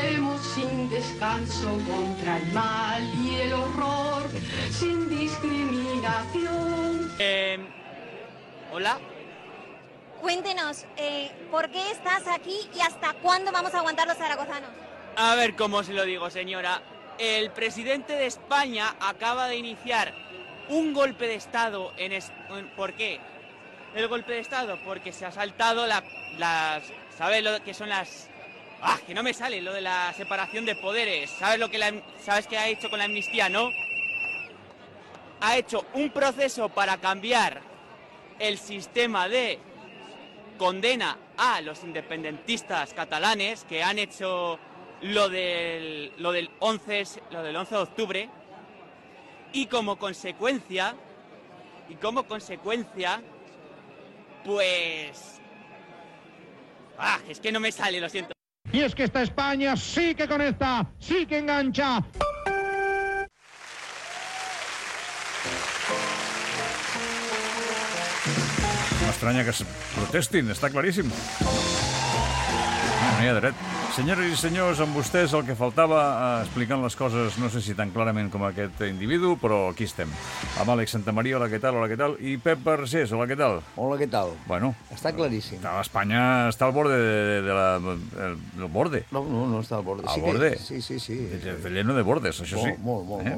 Luchemos sin descanso contra el mal y el horror, sin discriminación. ¿Hola? Cuéntenos, ¿por qué estás aquí y hasta cuándo vamos a aguantar los zaragozanos? A ver cómo se lo digo, señora. El presidente de España acaba de iniciar un golpe de Estado ¿Por qué? El golpe de Estado, porque se ha saltado ¿sabes lo que son las...? Que no me sale, lo de la separación de poderes. ¿Sabes qué ha hecho con la amnistía, no? Ha hecho un proceso para cambiar el sistema de condena a los independentistas catalanes que han hecho lo del 11 de octubre y como consecuencia pues es que no me sale, lo siento. Y es que esta España sí que conecta, sí que engancha. No estranya que es protestin, està claríssim. No hi ha dret. Senyores i senyors, amb vostès el que faltava explicant les coses, no sé si tan clarament com aquest individu, però aquí estem. Amb Àlex Santamaria, hola, què tal, i Pep Vergés, hola, què tal? Hola, què tal? Bueno. Està claríssim. Espanya està al borde del borde. No està al borde. Al borde? Sí. Lleno de bordes, això sí. Molt borde.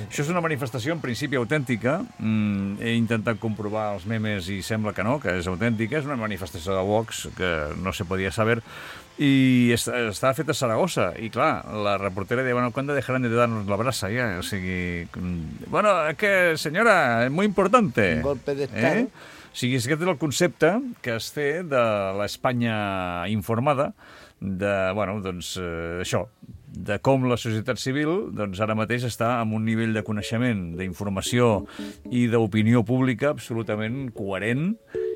Això és una manifestació en principi autèntica. He intentat comprovar els memes i sembla que no, que és autèntica. És una manifestació de Vox que no se podia saber. I estava feta a Saragossa i clar, la reportera deia, bueno, ¿cuándo dejarán de darnos la brasa? Ja? O sigui, bueno, es que senyora, es muy importante. Un golpe de Estado. O sigui, aquest és el concepte que es té de l'Espanya informada, això, de com la societat civil ara mateix està en un nivell de coneixement, d'informació i d'opinió pública absolutament coherent,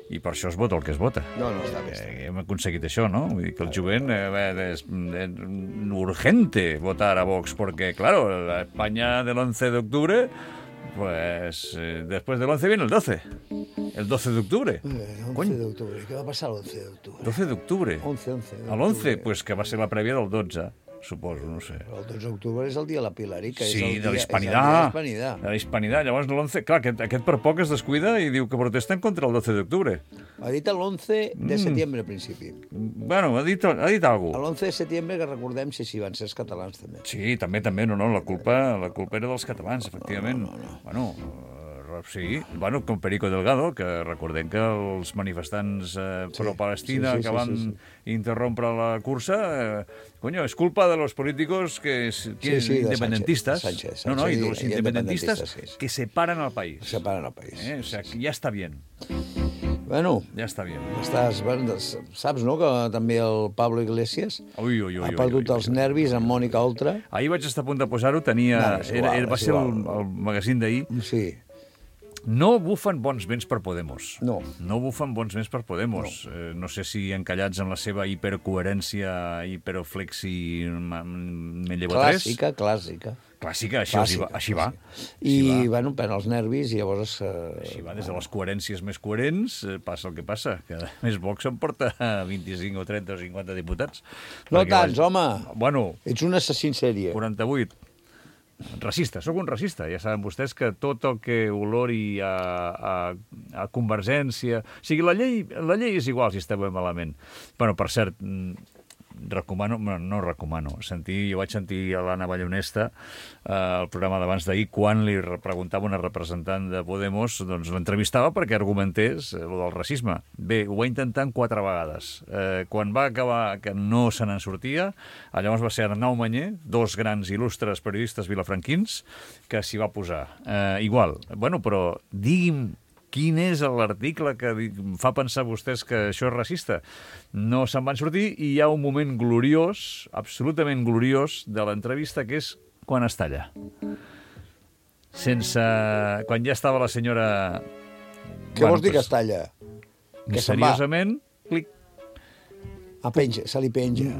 i per això es vota el que es vota. No, està bé. Hem aconseguit això, no? Vull dir que el jovent és urgente votar a Vox, porque, claro, la España del 11 de octubre, pues después del 11 viene el 12. El 12 de octubre. El 11 de octubre. Què va passar el 11 d'octubre? 12 d'octubre? 11. L'11, pues que va ser la prèvia del 12. Suposo, no sé. El 12 d'octubre és el dia de la Pilarica. Sí, de l'Hispanidad. De l'Hispanidad. Llavors, l'11... Clar, aquest per poc es descuida i diu que protesten contra el 12 d'octubre. Ha dit l'11 de setembre, al principi. Bueno, ha dit alguna cosa. L'11 de setembre, que recordem si van ser els catalans, també. Sí, també, no, la culpa era dels catalans, efectivament. No. Bueno, sí, com Perico Delgado, que recordem que els manifestants pro-Palestina que van interrompre la cursa, és culpa de los políticos independentistas. No, y de los independentistas que separan al país. Separan al país. O sea, que ya está bien. Bueno, ja està bien. Saps, no?, que també el Pablo Iglesias ha perdut els nervis amb Mònica Oltra. Ahir vaig estar a punt de posar-ho, va ser el magazín d'ahir. Sí. No bufen bons vents per Podemos. No bufen bons vents per Podemos. No sé si encallats en la seva hipercoherència, hiperoflexi, me llevo tres. Clàssica, així va. I, bueno, pren els nervis i llavors... Així va, des de les coherències més coherents, passa el que passa, que a més Vox em porta 25 o 30 o 50 diputats. No tants, home! Bueno... Ets un assassí en sèrie. 48. Racista, sóc un racista. Ja saben vostès que tot el que olori a Convergència... O sigui, la llei és igual si esteu malament. Bueno, per cert, jo vaig sentir a l'Anna Ballonesta el programa d'abans d'ahir quan li preguntava una representant de Podemos, doncs l'entrevistava perquè argumentés el del racisme. Bé, ho va intentar 4 vegades. Quan va acabar que no se n'en sortia, llavors va ser Arnau Mañé, 2 grans il·lustres periodistes vilafranquins, que s'hi va posar. Igual. Bueno, però digui'm quin és l'article que fa pensar vostès que això és racista? No se'n van sortir i hi ha un moment gloriós, absolutament gloriós, de l'entrevista, que és quan es talla. Quan ja estava la senyora... Què vols dir que es talla? Misteriosament, clic. Se li penja.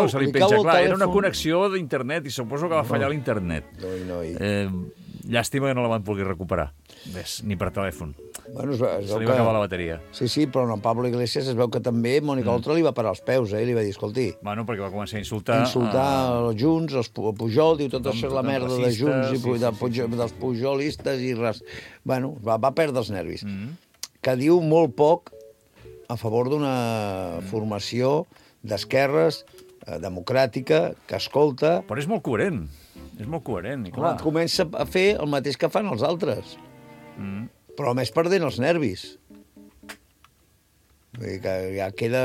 Se li penja, clar, era una connexió d'internet i suposo que va fallar l'internet. Llàstima que no la van poder recuperar. Ves, ni per telèfon. Bueno, Se li va acabar la bateria. Sí, però en Pablo Iglesias es veu que també Mònica Oltra li va parar els peus, i li va dir, escolti... Bueno, perquè va començar a insultar... Els Junts, els Pujol, diu tot això, la merda de Junts i dels pujolistes i res. Bueno, va perdre els nervis. Que diu molt poc a favor d'una formació d'esquerres, democràtica, que escolta... Però és molt coherent. És molt coherent, i clar. Comença a fer el mateix que fan els altres. Però a més perdent els nervis. Vull dir que ja queda...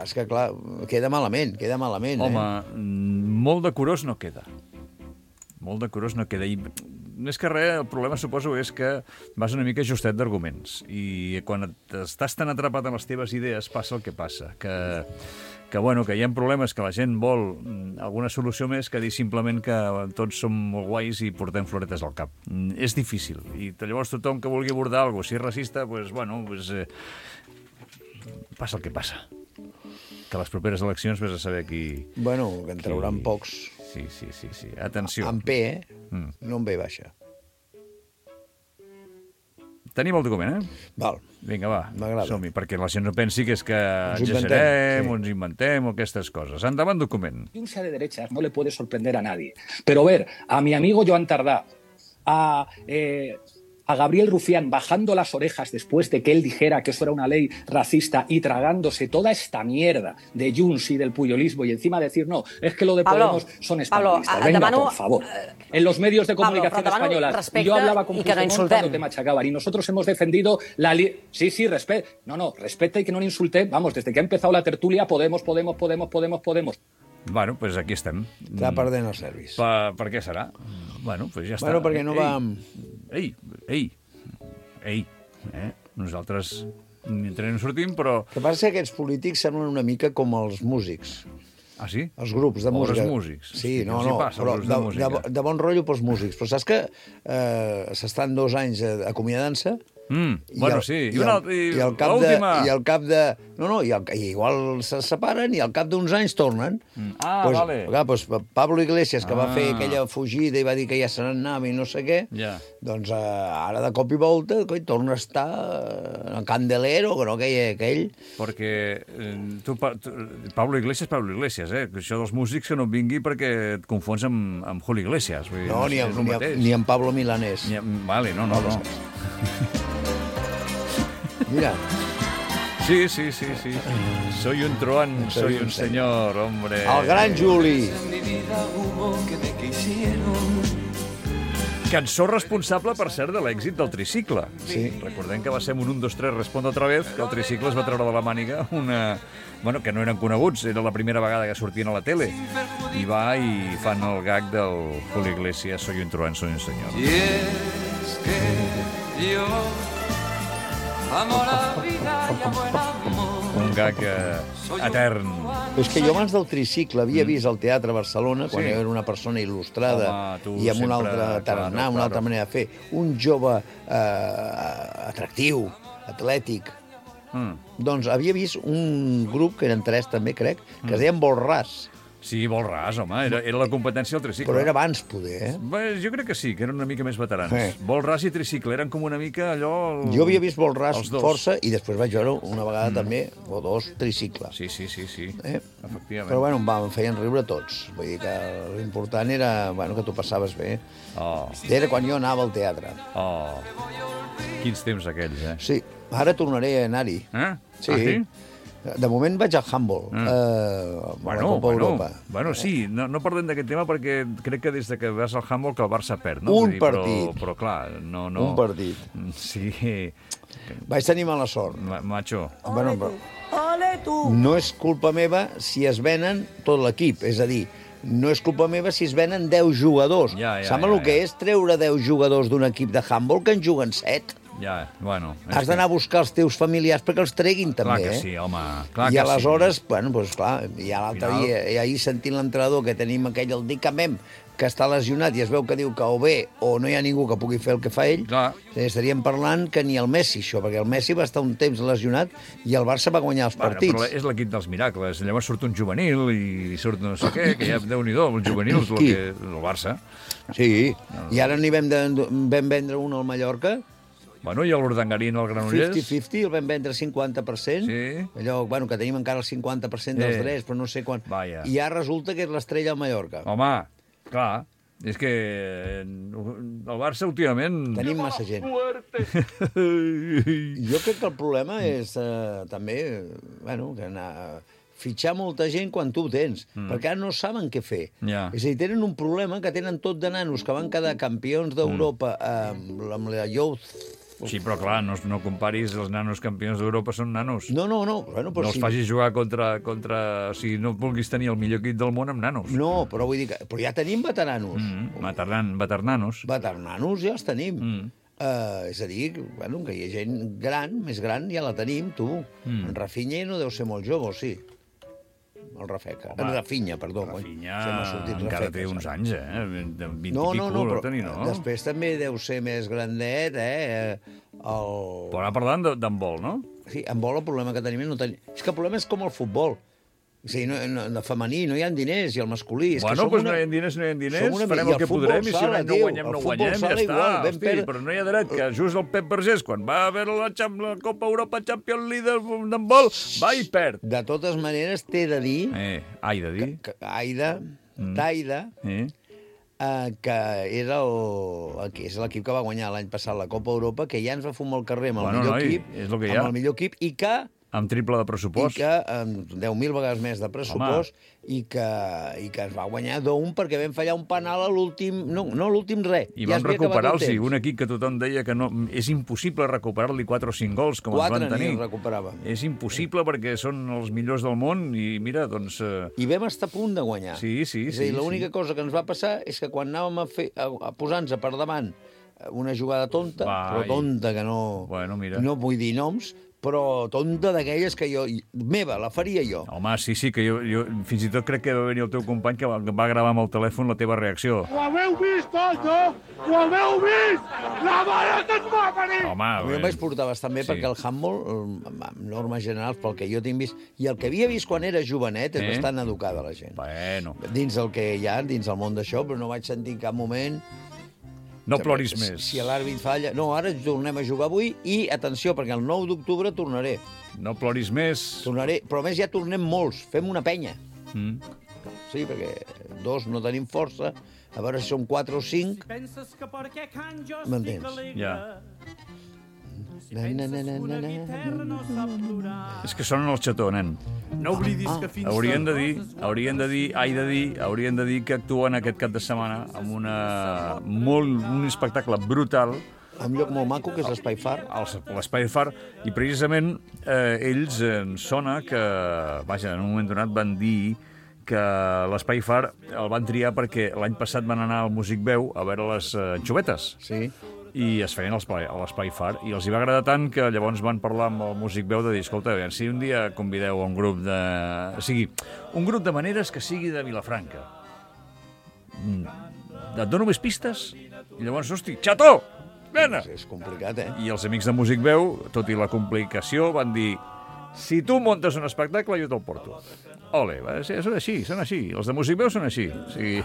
És que, clar, queda malament. Home, molt decorós no queda. Molt decorós no queda. I més que res, el problema, suposo, és que vas una mica justet d'arguments. I quan estàs tan atrapat en les teves idees, passa el que passa. Que hi ha problemes, que la gent vol alguna solució més que dir simplement que tots som molt guais i portem floretes al cap. És difícil. I llavors tothom que vulgui abordar alguna cosa, si és racista, passa el que passa. Que a les properes eleccions vés a saber qui... Bueno, que en trauran pocs. Sí. Atenció. En P, no en B baixa. Tenim el document, Val. Vinga, va, m'agrada. som-hi, perquè la gent no pensi que és que exagerem, ens inventem o aquestes coses. Endavant, document. Un sea de derechas no le puede sorprender a nadie. Pero ver a mi amigo Joan Tardá, a Gabriel Rufián bajando las orejas después de que él dijera que eso era una ley racista y tragándose toda esta mierda de Junts y del puyolismo y encima decir, no, es que lo de Podemos son españolistas. Venga, por favor. En los medios de comunicación españolas, yo hablaba con Puigdemont cuando te machacaban y nosotros hemos defendido la... Sí, respeta y que no le insulten. Vamos, desde que ha empezado la tertulia, Podemos. Bueno, doncs aquí estem. Està perdent els nervis. Per què serà? Bueno, doncs ja està. Bueno, perquè no va... Ei. Nosaltres ni entrem ni sortim, però... El que passa és que aquests polítics semblen una mica com els músics. Ah, sí? Els grups de música. Els músics. Sí, però de bon rotllo pels músics. Però saps que s'estan 2 anys acomiadant-se? Sí. I al cap de... I igual se separen i al cap d'uns anys tornen. Vale. Doncs Pablo Iglesias, que va fer aquella fugida i va dir que ja se n'anava i no sé què, doncs ara de cop i volta torna a estar en Candelero, que no aquell... Perquè Pablo Iglesias, això dels músics que no et vingui perquè et confons amb Julio Iglesias. No, ni amb Pablo Milanés. Vale, no. Mira. Sí. Soy un truán, soy un señor, hombre. El gran Juli. Cançó responsable, per cert, de l'èxit del tricicle. Sí. Recordem que va ser un 1, 2, 3, responde otra vez, que el tricicle es va treure de la màniga una... Bueno, que no eren coneguts, era la primera vegada que sortien a la tele. I fan el gag del Julio Iglesias, soy un truán, soy un señor. Y es que yo amo la vida y amo el amor. Un gag etern. És que jo abans del tricicle havia vist al Teatre Barcelona, quan era una persona il·lustrada i amb un altre tarannà, una altra manera de fer, un jove atractiu, atlètic. Doncs havia vist un grup, que eren 3 també, crec, que es deien Bolràs. Sí, Bolràs, home, era la competència del tricicle. Però era abans, poder, Jo crec que sí, que eren una mica més veterans. Bolràs i tricicle eren com una mica allò... Jo havia vist Bolràs força i després vaig veure una vegada també, o 2, tricicle. Sí, efectivament. Però bueno, em feien riure tots. Vull dir que l'important era que t'ho passaves bé. Era quan jo anava al teatre. Quins temps aquells, Sí, ara tornaré a anar-hi. Sí? De moment vaig al handball, a la Copa Europa. Bueno, sí, no parlem d'aquest tema perquè crec que des que vas al handball que el Barça perd, no? Un partit. Però clar, no... Un partit. Sí. Vaig tenir mala sort. Macho. Ole tu! No és culpa meva si es venen tot l'equip, és a dir, no és culpa meva si es venen 10 jugadors. Saps el que és treure 10 jugadors d'un equip de handball que en juguen 7? Ja, bueno... Has d'anar a buscar els teus familiars perquè els treguin, també, Clar que sí, home, clar que sí. I aleshores, bueno, doncs clar, i l'altre Final... dia, i ahir sentint l'entrenador que tenim aquell, el Dicamem, que està lesionat i es veu que diu que o bé o no hi ha ningú que pugui fer el que fa ell, estaríem parlant que ni el Messi, això, perquè el Messi va estar un temps lesionat i el Barça va guanyar els partits. Però és l'equip dels miracles. Llavors surt un juvenil i surt no sé què, que ja, Déu-n'hi-do, els juvenils, el Barça. Sí, i ara n'hi vam vendre un al Mallorca. Bueno, i l'Urdangarín al Granollers? 50-50, el vam vendre 50%. Sí. Allò, bueno, que tenim encara el 50% dels drets, però no sé quan. Vaya. I ara resulta que és l'estrella al Mallorca. Home, clar, és que el Barça últimament... Tenim massa gent. Jo crec que el problema és també, bueno, que fitxar molta gent quan tu ho tens, perquè ara no saben què fer. És a dir, tenen un problema que tenen tot de nanos que van quedar campions d'Europa amb la Youth. Sí, però clar, no comparis els nanos campions d'Europa, són nanos. No. Bueno, però no els facis jugar contra... Si no vulguis tenir el millor equip del món amb nanos. No, però vull dir que... Però ja tenim veteranos. Veternanos. Veternanos ja els tenim. És a dir, bueno, que hi ha gent gran, més gran, ja la tenim, tu. En Rafinha no deu ser molt jove, o sí? El Rafeca. Rafinha, perdó. Rafinha encara té uns anys, eh? 20 i pico, però tenir, no? Després també deu ser més grandet, Però ara parlant d'handbol, no? Sí, handbol el problema que tenim és que el problema és com el futbol. És a dir, de femení no hi ha diners, i el masculí... Bueno, doncs no hi ha diners, farem el que podrem, i si no guanyem, no guanyem, ja està. Hosti, però no hi ha dret que just el Pep Vergés, quan va a veure la Copa Europa Champions League d'handbol, va i perd. De totes maneres, t'he de dir... Taida, que era és l'equip que va guanyar l'any passat la Copa Europa, que ja ens va fumar el carrer amb el millor equip, i que... Amb triple de pressupost. I que amb 10.000 vegades més de pressupost, i que es va guanyar d'1 perquè vam fallar un penal a l'últim... No l'últim res. I vam recuperar-los, un equip que tothom deia que no, és impossible recuperar-li 4 o 5 gols, com ens van tenir. 4 n'hi recuperàvem. És impossible perquè són els millors del món i mira, doncs... I vam estar a punt de guanyar. Sí. És a dir, l'única cosa que ens va passar és que quan anàvem a posar-nos per davant una jugada tonta, però tonta que no... Bueno, mira. No vull dir noms, però tonta d'aquelles que la faria jo. Home, sí, que jo fins i tot crec que va venir el teu company que va gravar amb el telèfon la teva reacció. Ho haveu vist, tots, no? Ho haveu vist? La mare que et va venir! Home, jo em vaig portar bastant bé perquè el handball, en normes generals, pel que jo tinc vist, i el que havia vist quan era jovenet, és bastant educada la gent. Bueno. Dins el que hi ha, dins el món d'això, però no vaig sentir en cap moment... No ploris més. Si l'àrbit falla... No, ara tornem a jugar avui i, atenció, perquè el 9 d'octubre tornaré. No ploris més. Tornaré, però a més ja tornem molts. Fem una penya. Sí, perquè 2 no tenim força. A veure si som 4 o 5. M'entens? Ja. És que sonen el xató, nen. No oblidis que fins... Haurien de dir que actuen aquest cap de setmana amb un espectacle brutal. Un lloc molt maco, que és l'Espai Far. L'Espai Far, i precisament ells sona que, vaja, en un moment donat van dir que l'Espai Far el van triar perquè l'any passat van anar al Músic Veu a veure les anxovetes. Sí. I es feien a l'Espai Far, i els hi va agradar tant que llavors van parlar amb el Músic Veu de dir, escolta, si un dia convideu a un grup de... O sigui, un grup de maneres que sigui de Vilafranca. Et dono més pistes? I llavors, hosti, xató! Vena! És complicat, I els amics de Músic Veu, tot i la complicació, van dir, si tu muntes un espectacle, jo te'l porto. Ole, són així. Els de Músic Veu són així. O sigui,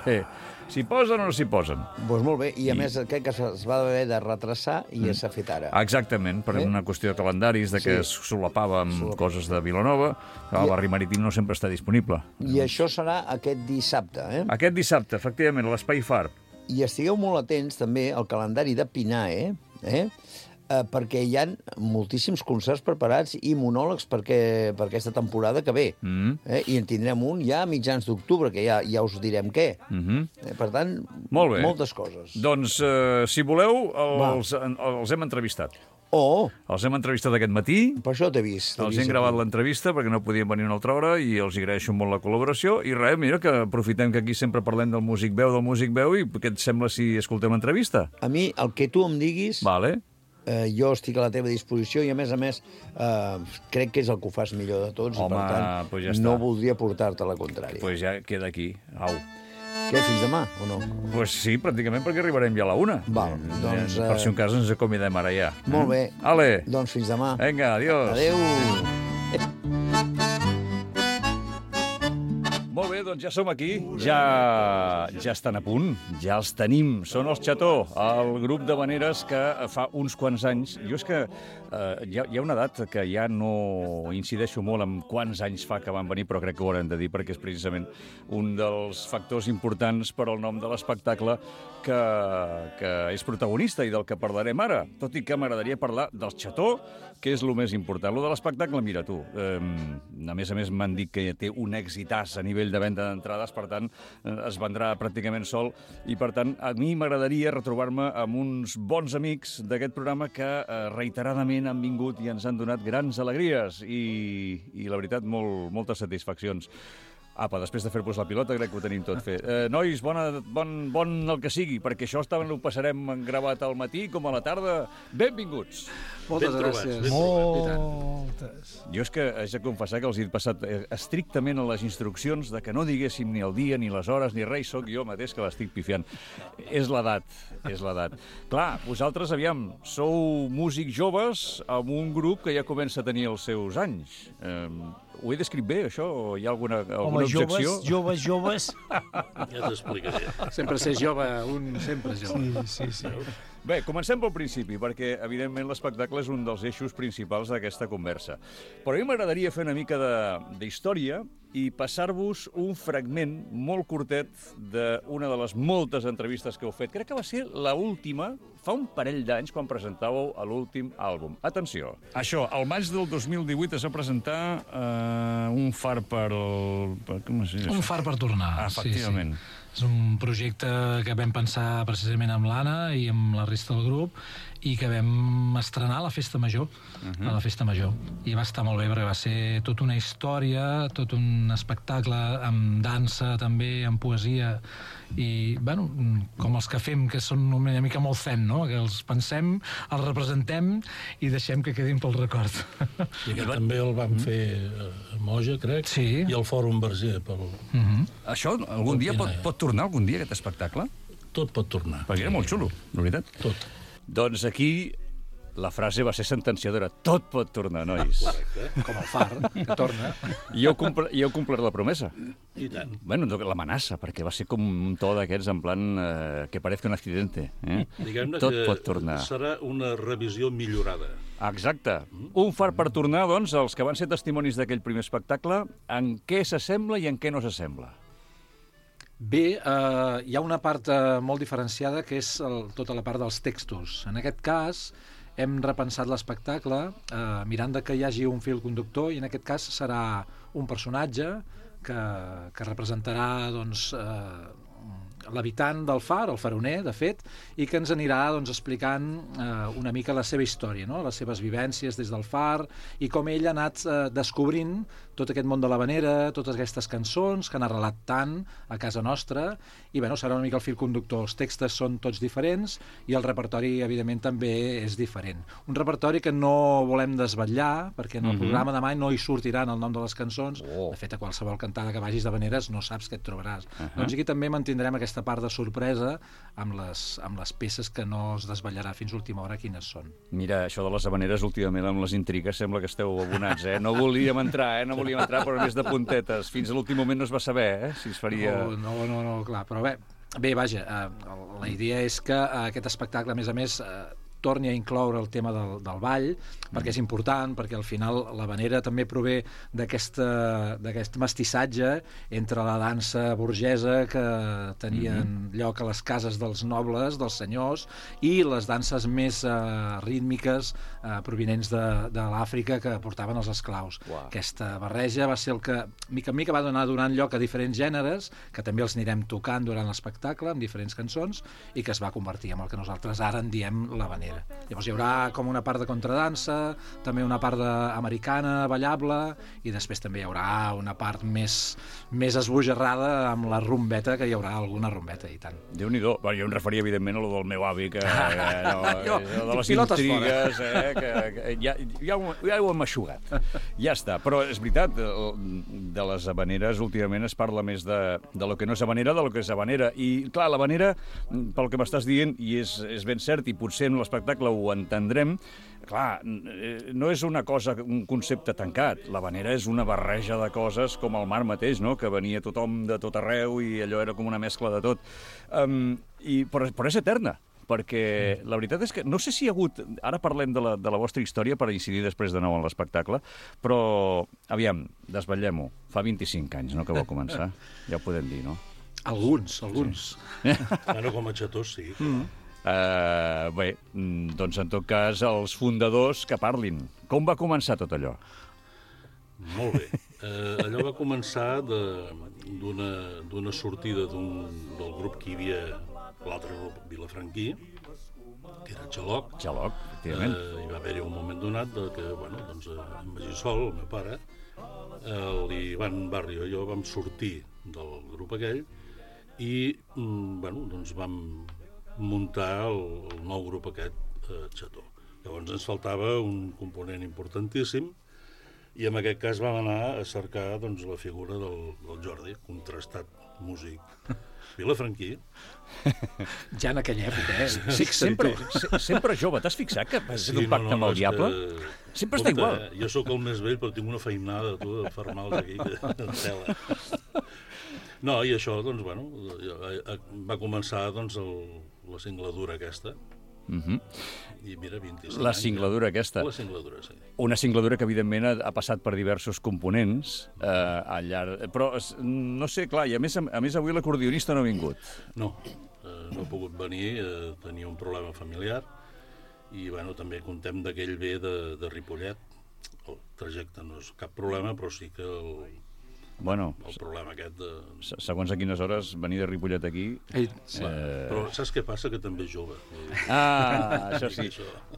s'hi posen o no s'hi posen. Doncs molt bé, i a més crec que es va haver de retrasar i s'ha fet ara. Exactament, per una qüestió de calendaris, que es solapava amb coses de Vilanova, que el barri marítim no sempre està disponible. I això serà aquest dissabte, Aquest dissabte, efectivament, a l'Espai Far. I estigueu molt atents també al calendari de Pinae, perquè hi ha moltíssims concerts preparats i monòlegs per aquesta temporada que ve. I en tindrem un ja a mitjans d'octubre, que ja us direm què. Per tant, moltes coses. Doncs, si voleu, els hem entrevistat. Els hem entrevistat aquest matí. Per això t'he vist. Els hem gravat l'entrevista perquè no podien venir una altra hora i els agraeixo molt la col·laboració. I res, mira, que aprofitem que aquí sempre parlem del Músic Veu i què et sembla si escoltem l'entrevista? A mi, el que tu em diguis... Vale. jo estic a la teva disposició i, a més, crec que és el que ho fas millor de tots. Home, i, per tant, pues ja no està. voldria portar-te la contrària. Pues ja queda aquí. Au. Què, fins demà, o no? Pues sí, pràcticament, perquè arribarem ja a la 1. Val, doncs... Per si un cas ens acomidem ara ja. Molt bé. Ale. Doncs fins demà. Vinga, adiós. Adéu. Molt bé, doncs ja som aquí, ja estan a punt, ja els tenim. Són els Xató, el grup d'havaneres que fa uns quants anys... Jo és que hi ha una edat que ja no incideixo molt en quants anys fa que van venir, però crec que ho haurem de dir perquè és precisament un dels factors importants per al nom de l'espectacle que és protagonista i del que parlarem ara. Tot i que m'agradaria parlar dels Xató, que és el més important. Lo de l'espectacle, mira tu, a més m'han dit que té un exitàs a nivell de venda d'entrades, per tant, es vendrà pràcticament sol, i per tant, a mi m'agradaria retrobar-me amb uns bons amics d'aquest programa que reiteradament han vingut i ens han donat grans alegries i la veritat, moltes satisfaccions. Apa, després de fer-vos la pilota, crec que ho tenim tot fet. Nois, bon el que sigui, perquè això ho passarem gravat al matí com a la tarda. Benvinguts! Moltes gràcies. Moltes. Jo és que haig de confessar que els he passat estrictament a les instruccions de que no diguéssim ni el dia, ni les hores, ni res, sóc jo mateix que l'estic pifiant. És l'edat, és l'edat. Clar, vosaltres, aviam, sou músics joves amb un grup que ja comença a tenir els seus anys. Ho he descrit bé, això? O hi ha alguna objecció? Joves. Ja t'explicaré. Sempre ser jove, un sempre jove. Sí. Bé, comencem pel principi, perquè, evidentment, l'espectacle és un dels eixos principals d'aquesta conversa. Però a mi m'agradaria fer una mica d'història i passar-vos un fragment molt curtet d'una de les moltes entrevistes que heu fet. Crec que va ser l'última, fa un parell d'anys, quan presentàveu l'últim àlbum. Atenció. Això, al maig del 2018 es va presentar Un far per... Com es diu? Un far per tornar. Efectivament. Sí. És un projecte que vam pensar precisament amb l'Anna i amb la resta del grup i que vam estrenar a la Festa Major, a la Festa Major. I va estar molt bé perquè va ser tota una història, tot un espectacle amb dansa també, amb poesia i, bueno, com els que fem, que són una mica molt zen, no? Que els pensem, els representem i deixem que quedin pel record. I aquest també el vam fer a Moja, crec, sí. I al Fòrum Verger. Això algun dia pot tornar algun dia, aquest espectacle? Tot pot tornar. Perquè era molt xulo, la veritat. Tot. Doncs aquí la frase va ser sentenciadora. Tot pot tornar, nois. Correcte. Com el far, que torna. I heu complert la promesa. I tant. Bueno, l'amenaça, perquè va ser com un to d'aquests en plan que parezca un accidente. Diguem-ne tot que pot tornar. Serà una revisió millorada. Exacte. Un far per tornar, doncs, els que van ser testimonis d'aquell primer espectacle, en què s'assembla i en què no s'assembla? Bé, hi ha una part molt diferenciada que és tota la part dels textos. En aquest cas, hem repensat l'espectacle mirant que hi hagi un fil conductor i en aquest cas serà un personatge que representarà doncs, l'habitant del far, el faroner, de fet, i que ens anirà doncs, explicant una mica la seva història, no? Les seves vivències des del far i com ell ha anat descobrint tot aquest món de l'havanera, totes aquestes cançons que han arrelat tant a casa nostra i bueno, serà una mica el fil conductor. Els textos són tots diferents i el repertori, evidentment, també és diferent. Un repertori que no volem desvetllar perquè en el programa demà no hi sortiran el nom de les cançons. De fet, a qualsevol cantada que vagis d'havaneres no saps què et trobaràs. Doncs aquí també mantindrem aquesta part de sorpresa amb les peces que no es desvetllarà fins a última hora quines són. Mira, això de les havaneres últimament amb les intrigues sembla que esteu abonats, No volíem entrar, però més de puntetes. Fins a l'últim moment no es va saber, si es faria... No, clar, però bé, vaja, la idea és que aquest espectacle, a més, torni a incloure el tema del ball, perquè és important, perquè al final l'havanera també prové d'aquest mestissatge entre la dansa burgesa que tenien lloc a les cases dels nobles, dels senyors, i les danses més rítmiques provinents de l'Àfrica que portaven els esclaus. Aquesta barreja va ser el que, mica en mica, va donant lloc a diferents gèneres, que també els anirem tocant durant l'espectacle, amb diferents cançons, i que es va convertir en el que nosaltres ara en diem l'havanera. manera. Llavors hi haurà com una part de contradansa, també una part americana, ballable, i després també hi haurà una part més esbojarrada amb la rumbeta, que hi haurà alguna rumbeta, i tant. Déu-n'hi-do. Jo em referia, evidentment, a lo del meu avi, que de les intrigues, que ja ho hem eixugat. Ja està. Però és veritat, de les habaneres últimament es parla més de lo que no és habanera, de lo que és habanera. I, clar, l'habanera, pel que m'estàs dient, i és ben cert, i potser en l'espectacle ho entendrem, clar, no és una cosa, un concepte tancat. L'habanera és una barreja de coses com el mar mateix, no?, que venia tothom de tot arreu i allò era com una mescla de tot. Però és eterna, perquè la veritat és que no sé si hi ha hagut... Ara parlem de la vostra història per incidir després de nou en l'espectacle, però, aviam, desvetllem-ho. Fa 25 anys, no?, que va començar. Ja ho podem dir, no? Alguns. Sí. Bueno, com a xatós, sí. Bé, doncs en tot cas, els fundadors que parlin. Com va començar tot allò? Molt bé. Allò va començar d'una sortida del grup que hi havia, l'altre grup vilafranquí, que era Xaloc. Xaloc, efectivament. Hi va haver-hi un moment donat que, bueno, doncs, en Magí Sol, el meu pare, l'Ivan Barrio i jo vam sortir del grup aquell i, bueno, doncs vam muntar el nou grup aquest, Xató. Llavors ens faltava un component importantíssim i en aquest cas vam anar a cercar, doncs, la figura del Jordi, contrastat músic vilafranquí. Ja en aquella època, Sí, sempre jove. T'has fixat que has fet un pacte amb el diable? Sempre està igual. Jo sóc el més vell, però tinc una feinada, tu, de fermals aquí, en tela. No, i això, doncs, bueno, va començar, doncs, la singladura aquesta. I mira, 25 anys. La singladura aquesta. La singladura, sí. Una singladura que, evidentment, ha passat per diversos components al llarg... Però, no sé, clar, i a més avui l'acordionista no ha vingut. No ha pogut venir, tenia un problema familiar, i, bueno, també contem d'aquell ve de Ripollet. El trajecte no és cap problema, però sí que el problema aquest de... Segons a quines hores venir de Ripollet aquí... Però saps què passa? Que també és jove. Això sí.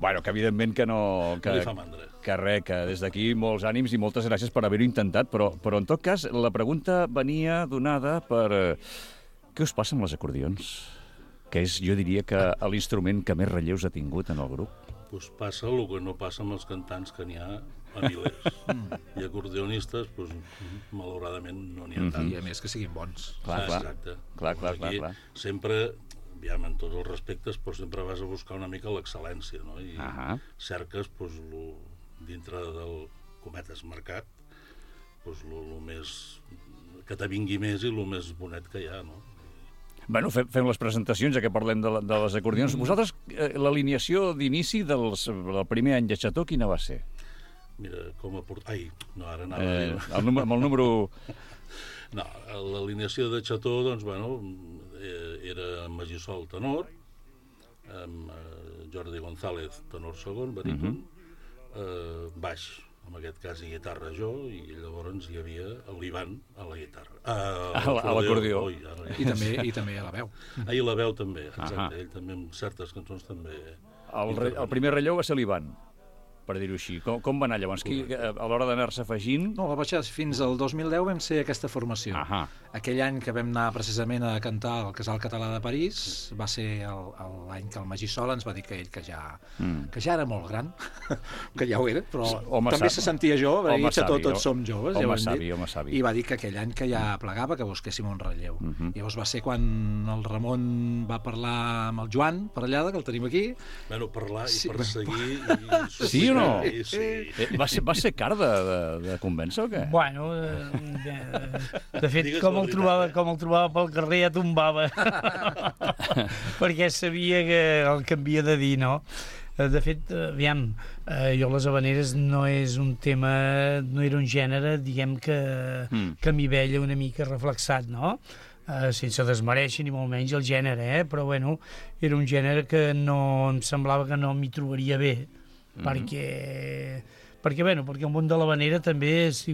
Bueno, que evidentment que no... No li fa mandra. Que des d'aquí molts ànims i moltes gràcies per haver-ho intentat, però en tot cas la pregunta venia donada per... Què us passa amb les acordions? Que és, jo diria, que l'instrument que més relleus ha tingut en el grup. Doncs passa el que no passa amb els cantants, que n'hi ha a milers. I acordionistes, doncs, malauradament, no n'hi ha tants. I a més que siguin bons. Exacte. Clar. Sempre, aviam, en tots els respectes, però sempre vas a buscar una mica l'excel·lència, no? I cerques, doncs, dintre del cometes mercat, doncs, el més... que te vingui més i el més bonet que hi ha, no? Bueno, fem les presentacions, ja que parlem de les acordions. Vosaltres, l'alineació d'inici del primer any de Xató, quina va ser? Mira, com a Ai, no, ara anava a dir... Amb el número... No, l'alineació de Xató, doncs, bueno, era Magí Sol, tenor, amb Jordi González, tenor segon, baríton, baix, en aquest cas i guitarra jo, i llavors hi havia l'Ivan a la guitarra. A l'acordió. I també a la veu. I la veu també, exacte. Ell també, en certes cançons també... El primer relleu va ser l'Ivan, per dir-ho així. Com va anar llavors? A l'hora d'anar-se afegint... No, va baixar fins al 2010 vam ser aquesta formació. Aquell any que vam anar precisament a cantar al Casal Català de París va ser l'any que el Magí Sol ens va dir que ell que ja era molt gran, que ja ho era, però també se sentia jove, tots som joves, home savi. I va dir que aquell any que ja plegava que busquéssim un relleu. Llavors va ser quan el Ramon va parlar amb el Joan, per allà, que el tenim aquí. Bueno, parlar i perseguir... Sí o no? Sí. Va ser car de convèncer o què? Bueno, de fet, com el trobava pel carrer ja tombava. Perquè sabia que el que havia de dir, no? De fet, aviam, jo les habaneres no és un tema, no era un gènere, diguem que m'hi veia una mica reflexat, no? Sense desmereixer ni molt menys el gènere, però bueno, era un gènere que no em semblava que no m'hi trobaria bé. Perquè el món de l'habanera també és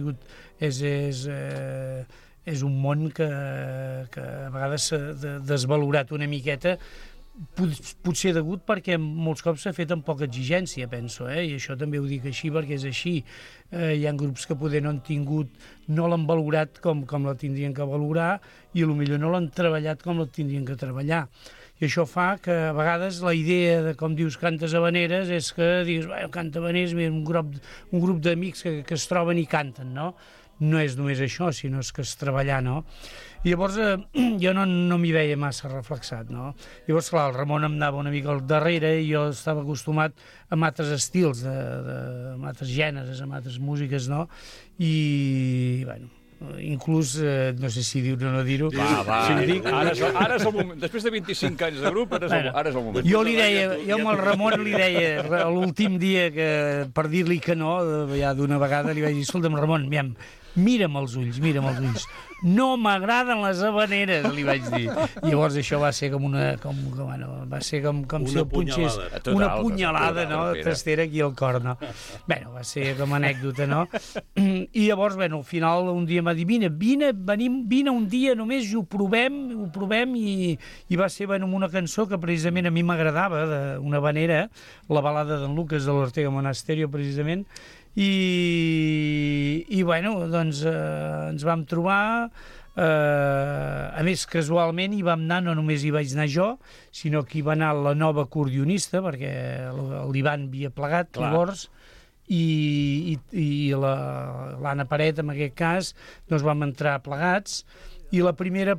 un món que a vegades s'ha desvalorat una miqueta potser degut perquè molts cops s'ha fet amb poca exigència, penso, i això també ho dic així perquè és així. Hi ha grups que poder no l'han valorat com la tindrien que valorar i potser no l'han treballat com la tindrien que treballar. I això fa que a vegades la idea de, com dius, cantes habaneres és que dius, canta habaneres, un grup d'amics que es troben i canten, no? No és només això, sinó que és treballar, no? I llavors jo no m'hi veia massa reflexat, no? Llavors, clar, el Ramon em anava una mica al darrere i jo estava acostumat a altres estils, a altres gèneres, a altres músiques, no? I, bueno, inclús, no sé si dir-ho o no dir-ho. Ara és el moment. Després de 25 anys de grup, ara és el moment. Jo amb el Ramon li deia, l'últim dia, per dir-li que no, ja d'una vegada li vaig dir, escolta'm, Ramon, mira'm els ulls. No m'agraden les habaneres, li vaig dir. I llavors això va ser com va ser com si el punxés una punyalada, no? Tastera aquí al cor, no? Bé, va ser com anècdota, no? I llavors, al final, un dia m'ha dit, vine un dia només i ho provem i va ser amb una cançó que precisament a mi m'agradava, una habanera, la balada d'en Lucas de l'Ortega Monasterio, precisament, i bueno, doncs ens vam trobar, a més casualment hi vam anar, no només hi vaig anar jo, sinó que hi va anar la nova acordionista, perquè l'Ivan havia plegat llavors, i l'Anna Paret, en aquest cas, doncs vam entrar plegats, i la primera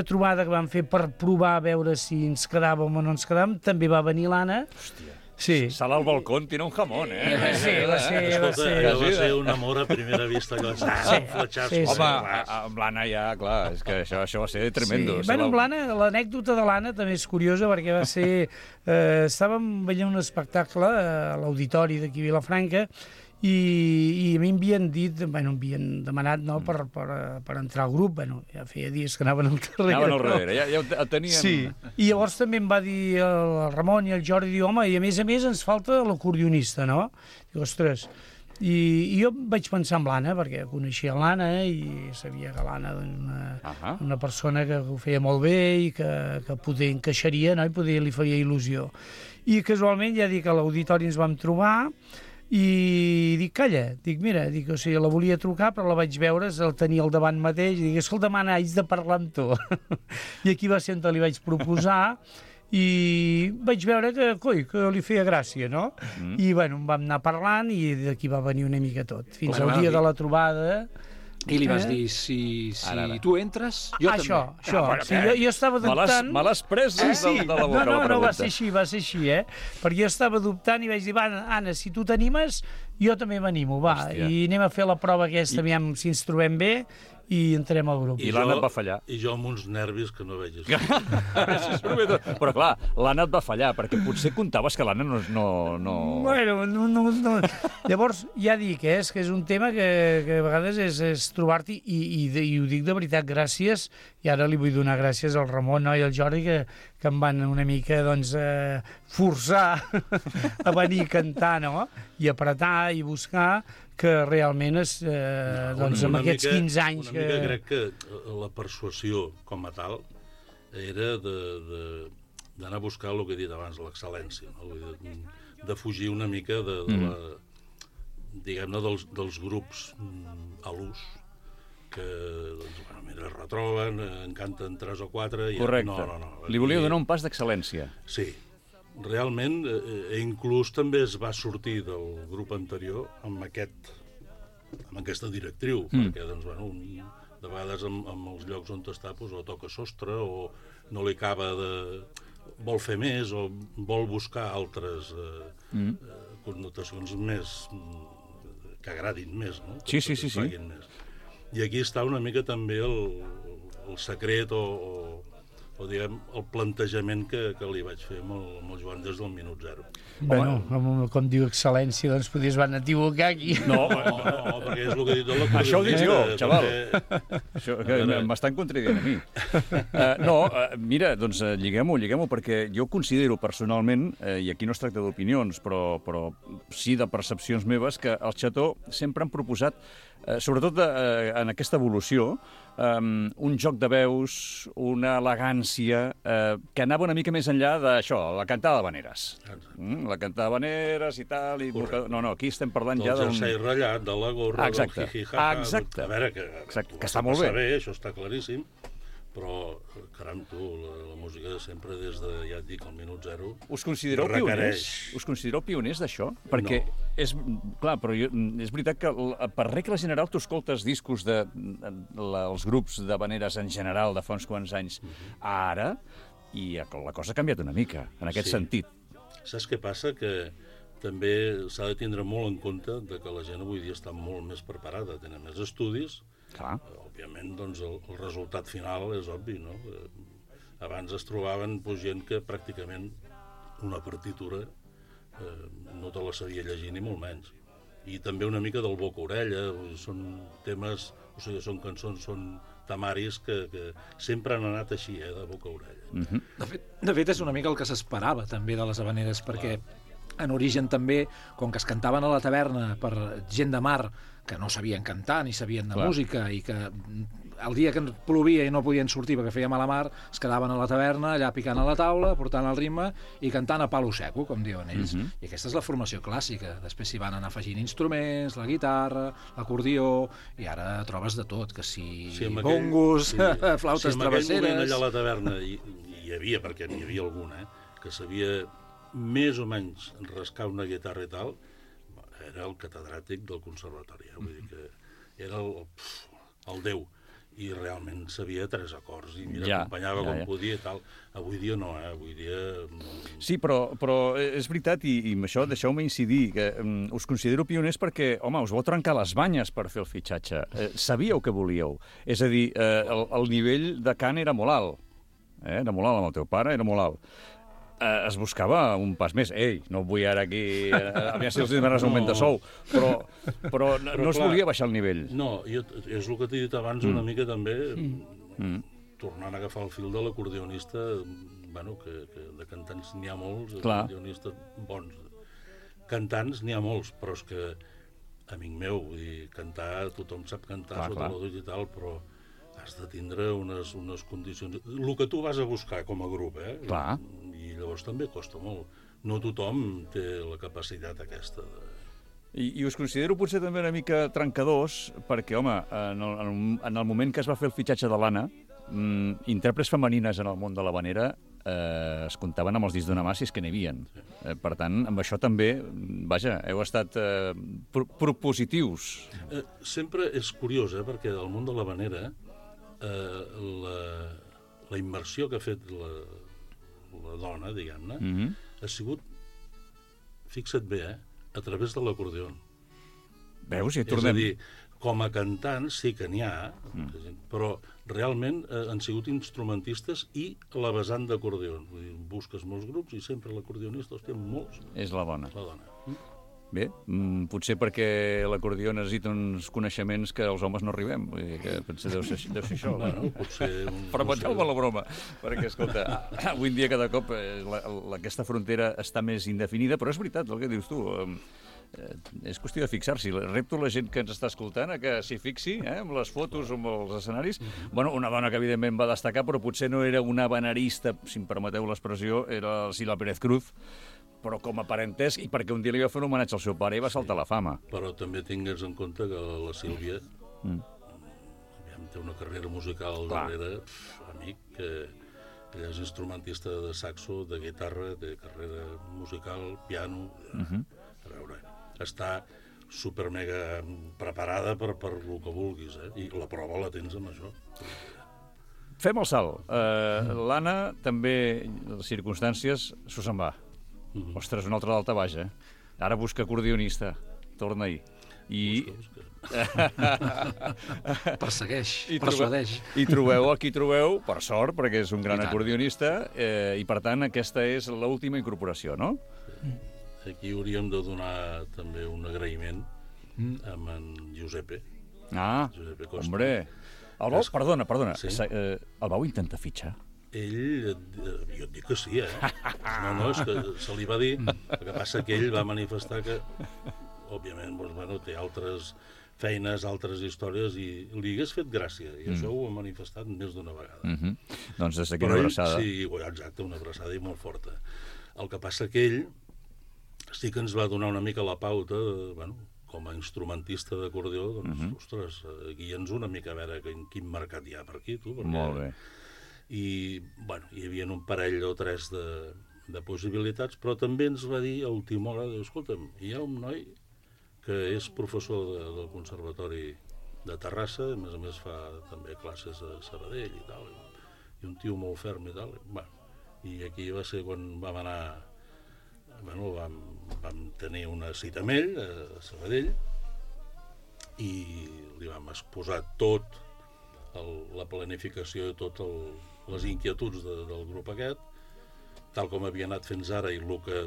trobada que vam fer per provar a veure si ens quedàvem o no ens quedàvem, també va venir l'Anna. Hòstia. Sí. Sala al balcón tiene un jamón, Sí, va ser un amor a primera vista, que va ser un fletxasso. Home, amb l'Anna ja, clar, és que això va ser tremendo. Bueno, amb l'Anna, l'anècdota de l'Anna també és curiosa, perquè va ser... Estàvem veient un espectacle a l'auditori d'aquí a Vilafranca i a mi em havien demanat per entrar al grup. Ja feia dies que anaven al darrere. Anaven al darrere, ja ho teníem... Sí, i llavors també em va dir el Ramon i el Jordi, diu, home, i a més ens falta l'acordionista, no? Diu, ostres... I jo vaig pensar en l'Anna, perquè coneixia l'Anna i sabia que l'Anna era una persona que ho feia molt bé i que poder encaixaria, no? I li faria il·lusió. I casualment, ja dic, a l'auditori ens vam trobar i dic, calla, o sigui, la volia trucar, però la vaig veure, el tenia al davant mateix, i dic, escolta, mana, haig de parlar amb tu. I aquí va ser on li vaig proposar, i vaig veure que li feia gràcia, no? I, bueno, em vam anar parlant i d'aquí va venir una mica tot. Fins al dia de la trobada... I li vas dir, si tu entres, jo també. Això. Jo estava dubtant... Me l'has pres de la boca, la pregunta. No, va ser així, Perquè jo estava dubtant i vaig dir, va, Anna, si tu t'animes, jo també m'animo, va. I anem a fer la prova aquesta, aviam si ens trobem bé, i entrem al grup. I l'Anna et va fallar. I jo amb uns nervis que no vegis. Però clar, l'Anna et va fallar, perquè potser comptaves que l'Anna no... Bueno, no. Llavors, ja dic, és que és un tema que a vegades és trobar-t'hi, i ho dic de veritat, gràcies, i ara li vull donar gràcies al Ramon i al Jordi, que em van una mica, doncs, forçar a venir a cantar, no? I apretar i buscar, que realment és, doncs, amb aquests 15 anys... Una mica crec que la persuasió com a tal era d'anar a buscar el que he dit abans, l'excel·lència, no? De fugir una mica diguem-ne, dels grups a l'ús, que doncs, es retroben, en canten 3 o 4... Correcte. Li volia donar un pas d'excel·lència. Sí. Realment, inclús també es va sortir del grup anterior amb aquesta directriu, perquè, doncs, bueno, de vegades amb els llocs on està, doncs, o toca sostre, o no li acaba vol fer més, o vol buscar altres connotacions més que agradin més, no? Sí. Més. I aquí està una mica també el secret o diguem, el plantejament que li vaig fer amb el Joan des del minut 0. Bueno, com diu excel·lència, doncs potser es van equivocar aquí. No, perquè és el que he dit de l'acordió. Això ho dic jo, xaval. Això, que m'estan contradient a mi. Mira, doncs lliguem-ho, perquè jo considero personalment, i aquí no es tracta d'opinions, però sí de percepcions meves, que el Xató sempre han proposat sobretot en aquesta evolució, un joc de veus, una elegància, que anava una mica més enllà d'això, la cantada d'habaneres. La cantada d'habaneres i tal... No, aquí estem parlant ja d'un... Del jersei ratllat, de la gorra, del jiji-jaja... Exacte. A veure, que està molt bé. Això està claríssim, però, caram, tu, la música sempre des de, ja et dic, el minut zero... Us considereu pioners? Us considereu pioners d'això? Perquè clar, però és veritat que per regla general tu escoltes discos dels grups d'habaneres en general de fa uns quants anys ara, i la cosa ha canviat una mica, en aquest sentit. Saps què passa? Que també s'ha de tindre molt en compte que la gent avui dia està molt més preparada, tenen més estudis. Clar. Òbviament, doncs, el resultat final és obvi, no? Abans es trobaven gent que pràcticament una partitura no te la sabia llegir ni molt menys. I també una mica del boca-orella, són temes, o sigui, són cançons, són temaris que sempre han anat així, de boca-orella. De fet, és una mica el que s'esperava també de les habaneres, perquè en origen també, com que es cantaven a la taverna per gent de mar que no sabien cantar ni sabien de música i que el dia que plovia i no podien sortir perquè feia mala mar, es quedaven a la taverna allà picant a la taula, portant el ritme i cantant a palo seco, com diuen ells. I aquesta és la formació clàssica. Després s'hi van anar afegint instruments, la guitarra, l'acordió, i ara trobes de tot, que si bongos, flautes travesseres... Si en aquell moment allà a la taverna hi havia, perquè n'hi havia algun, que sabia més o menys rascar una guitarra i tal, era el catedràtic del conservatori, vull dir que era el déu, i realment sabia 3 acords, i mira, acompanyava com podia i tal. Avui dia no, avui dia... Sí, però és veritat, i amb això deixeu-me incidir, que us considero pioners perquè, home, us vau trencar les banyes per fer el fitxatge. Sabíeu què volíeu. És a dir, el nivell de cant era molt alt. Era molt alt amb el teu pare, era molt alt. Es buscava un pas més. Ei, no vull ara aquí... A mi si els demanes augment de sou, però no es volia baixar el nivell. No, és el que t'he dit abans una mica també, tornant a agafar el fil de l'acordionista, bueno, que de cantants n'hi ha molts, acordionistes bons. Cantants n'hi ha molts, però és que, amic meu, vull dir, cantar, tothom sap cantar sota la duia i tal, però has de tindre unes condicions... El que tu vas a buscar com a grup, Clar. I llavors també costa molt. No tothom té la capacitat aquesta de... I us considero potser també una mica trencadors, perquè, home, en el moment que es va fer el fitxatge de l'Anna, intèrprets femenines en el món de l'habanera es comptaven amb els dits d'una mà si és que n'hi havia. Per tant, amb això també, vaja, heu estat propositius. Sempre és curiós, perquè del món de l'habanera la immersió que ha fet la dona, diguem-ne, ha sigut, fixa't bé, a través de l'acordió. Veus? Ja tornem... És a dir, com a cantants sí que n'hi ha, però realment han sigut instrumentistes i la vessant d'acordió. Busques molts grups i sempre l'acordeonista els té molts. És la dona. La dona. Bé, potser perquè l'acordió necessita uns coneixements que els homes no arribem. Vull dir que potser deu ser això. Bueno, potser... Permeteu-me la broma, perquè, escolta, avui en dia cada cop aquesta frontera està més indefinida, però és veritat el que dius tu. És qüestió de fixar-s'hi. Repto la gent que ens està escoltant que s'hi fixi, amb les fotos, amb els escenaris. Bueno, una dona que evidentment va destacar, però potser no era una habanerista, si em permeteu l'expressió, era Silva Pérez Cruz, però com a parentesc, i perquè un dia li va fer un homenatge al seu pare i va saltar la fama. Però també tingues en compte que la Sílvia té una carrera musical darrere, amic, que ella és instrumentista de saxo, de guitarra, de carrera musical, piano, a veure, està super mega preparada per el que vulguis, i la prova la tens amb això. Fem el salt. L'Anna també, les circumstàncies, s'ho se'n va. Ostres, un altre d'alta baix, Ara busca acordionista. Torna-hi. I... Persegueix, persuadeix. I trobeu el que hi trobeu, per sort, perquè és un gran acordionista, i per tant aquesta és l'última incorporació, no? Aquí hauríem de donar també un agraïment amb en Giuseppe. Giuseppe Costa. Hombre. Perdona. Sí? El vau intentar fitxar? Ell, jo et dic que sí, No, és que se li va dir, el que passa que ell va manifestar que, òbviament, té altres feines, altres històries, i li hagués fet gràcia, i això ho ha manifestat més d'una vegada. Doncs des d'aquí una abraçada. Sí, exacte, una abraçada i molt forta. El que passa que ell sí que ens va donar una mica la pauta, com a instrumentista d'acordió, doncs, ostres, guia'ns una mica a veure quin mercat hi ha per aquí, tu. Molt bé. I, hi havia un parell o tres de possibilitats, però també ens va dir a última hora, escolta'm, hi ha un noi que és professor del Conservatori de Terrassa, a més fa també classes a Sabadell i tal, i un tio molt ferm i tal. I aquí va ser quan vam anar, vam tenir una cita amb ell a Sabadell, i li vam exposar tot la planificació i totes les inquietuds del grup aquest, tal com havia anat fins ara i el que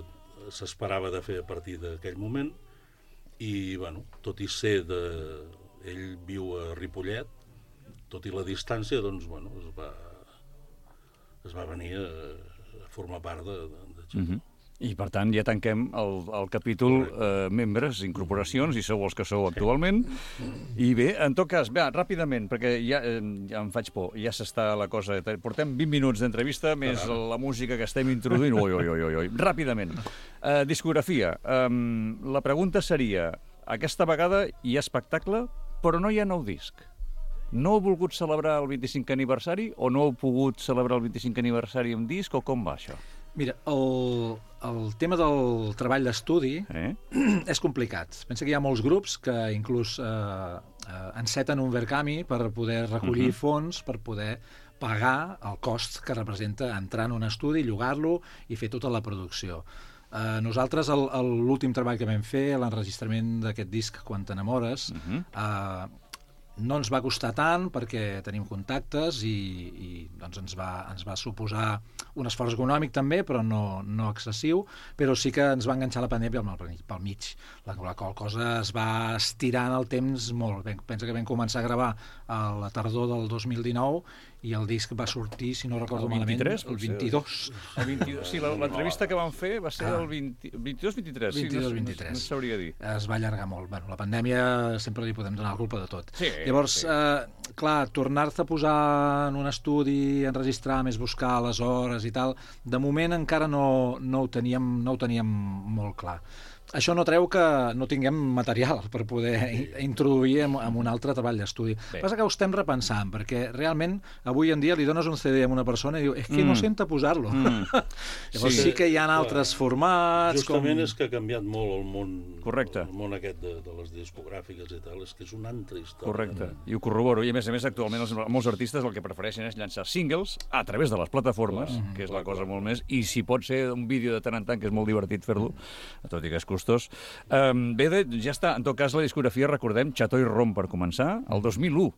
s'esperava de fer a partir d'aquell moment. I, tot i ser ell viu a Ripollet, tot i la distància, doncs, es va venir a formar part de Xató. I, per tant, ja tanquem el capítol membres, incorporacions, i sou els que sou actualment. I bé, en tot cas, ràpidament, perquè ja em faig por, ja s'està la cosa... Portem 20 minuts d'entrevista, més la música que estem introduint. Oi. Ràpidament. Discografia. La pregunta seria, aquesta vegada hi ha espectacle, però no hi ha nou disc. No heu volgut celebrar el 25 aniversari, o no heu pogut celebrar el 25 aniversari amb disc, o com va això? Mira, el tema del treball d'estudi és complicat. Pensa que hi ha molts grups que inclús enceten un Verkami per poder recollir fons, per poder pagar el cost que representa entrar en un estudi, llogar-lo i fer tota la producció. Nosaltres, l'últim treball que vam fer, l'enregistrament d'aquest disc Quan t'enamores, no ens va costar tant perquè tenim contactes i doncs ens va suposar un esforç econòmic també, però no excessiu, però sí que ens va enganxar la pandèmia pel mig, la qual cosa es va estirar en el temps molt. Pensa que vam començar a gravar a la tardor del 2019 i el disc va sortir, si no recordo malament, el 22. Sí, l'entrevista que vam fer va ser el 22-23. 22-23. No sabria dir. Es va allargar molt. La pandèmia sempre li podem donar la culpa de tot. Llavors, clar, tornar-te a posar en un estudi, enregistrar, més buscar les hores i tal, de moment encara no ho teníem molt clar. Això no treu que no tinguem material per poder introduir en un altre treball d'estudi. Passa que ho estem repensant, perquè realment avui en dia li dones un CD a una persona i diu, és que no senta posar-lo. Llavors sí que hi ha altres formats... Justament és que ha canviat molt el món, correcte, el món aquest de les discogràfiques i tal, és que és una altra història. Correcte, i ho corroboro. I a més, actualment molts artistes el que prefereixen és llançar singles a través de les plataformes, que és la cosa molt més, i si pot ser un vídeo de tant en tant, que és molt divertit fer-lo, tot i que és costós. Bé, ja està. En tot cas, la discografia, recordem, Xató i Rom per començar, el 2001,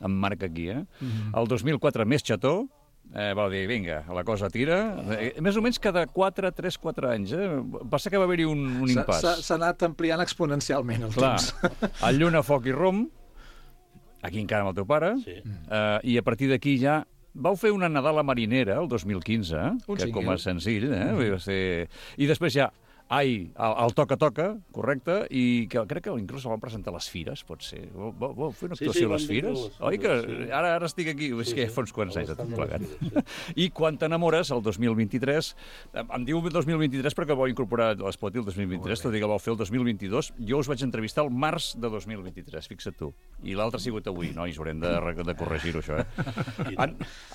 em marca aquí, el 2004 més Xató, va dir, vinga, la cosa tira, més o menys cada 3-4 anys, passa que va haver-hi un impàs. S'ha anat ampliant exponencialment el temps. El Lluna, Foc i Rom, aquí encara amb el teu pare, i a partir d'aquí ja vau fer una Nadala marinera, el 2015, que com a senzill, i després ja el Toca-Toca, correcte, i que crec que inclús el van presentar a les Fires, pot ser. Vau fer una actuació a les Fires? Oi que ara estic aquí? És que fa uns quants anys de tot plegat. I Quan t'enamores, el 2023, em diu 2023 perquè vau incorporar l'Spoti el 2023, tot i que el vau fer el 2022, jo us vaig entrevistar el març de 2023, fixa't tu. I l'altre ha sigut avui, nois, haurem de corregir-ho, això,